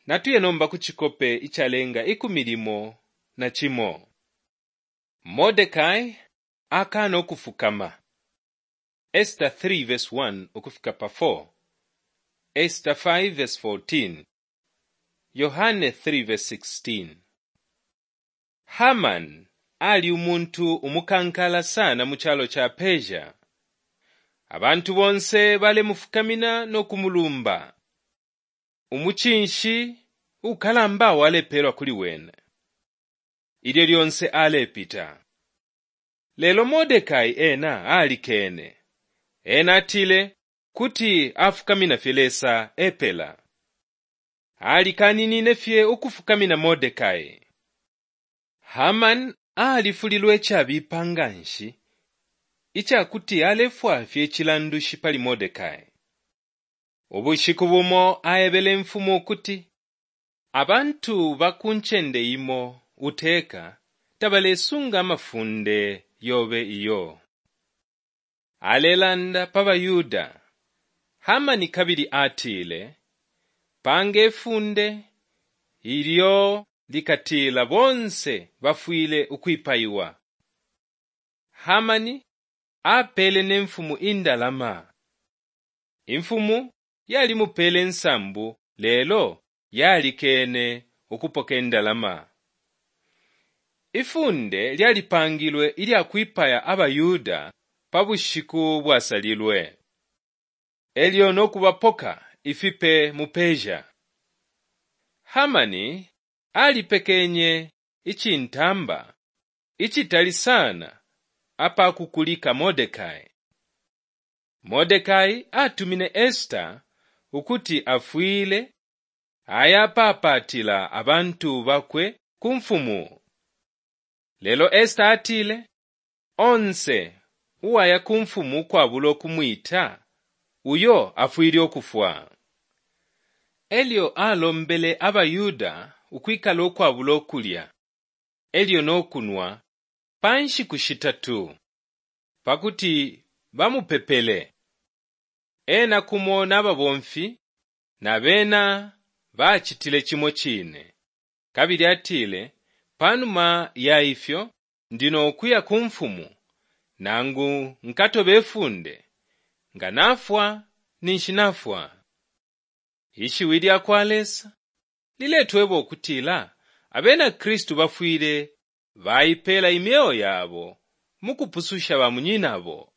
Natuye nomba ku cikope icalenga 11. Mordekai akaana ukufukama. Esta 3:1 ukufika pa 4, Esta 5:14, Yohane 3:16. Haman ali umuntu umukankala sana mu calo ca Persia. Abantu bonse balemufukamina no kumulumba. Umucinshi ukalamba walepeelwa kuli wene ilyo lyonse alepita. Lelo Mordekai ena alikeene. Ena atile kuti afukamina fye Lesa epela. Alikaninine fye ukufukamina Mordekai. Haman alifulilwe icabipa nga nshi ica kuti alefwaya fye icilandushi pali Mordekai. Ubushiku bumo aebele imfumu ukuti abantu ba ku ncende imo uteka tabalesunga amafunde yobe iyo. Alelanda pa baYuda. Hamani kabili atile, Panga ifunde ilyo likatila bonse bafwile ukwipaiwa. Hamani apeele ne mfumu indalama. Imfumu yalimupeele insambu lelo yalikeene ukupoka indalama. Ifunde lyalipangilwe ilya kwipaya abaYuda pa bushiku bwasalilwe, e lyo no kubapoka ifipe mu Persia. Hamani alipekenye icintamba icitali sana apa kukulika Mordekai. Mordekai atumine Esta ukuti afwile ayapaapaatila abantu bakwe ku mfumu. Lelo Esta atile, onse uwaya ku mfumu ukwabula ukumwita, uyo afwile ukufwa. E lyo alombele abaYuda ukwikala ukwabula ukulya e lyo no kunwa pa nshiku shitatu pa kuti bamupepele. Ena kumo na babomfi na bena bacitile cimo cine. Kabili atile, pa numa ya ifyo ndi no kuya ku mfumu nangu nkatobe ifunde, nga nafwa ninshi nafwa. Ishiwi lya kwa Lesa liletweba ukutila Abena Kristu bafwile baipeela imyeo yabo mu kupususha bamunyinabo.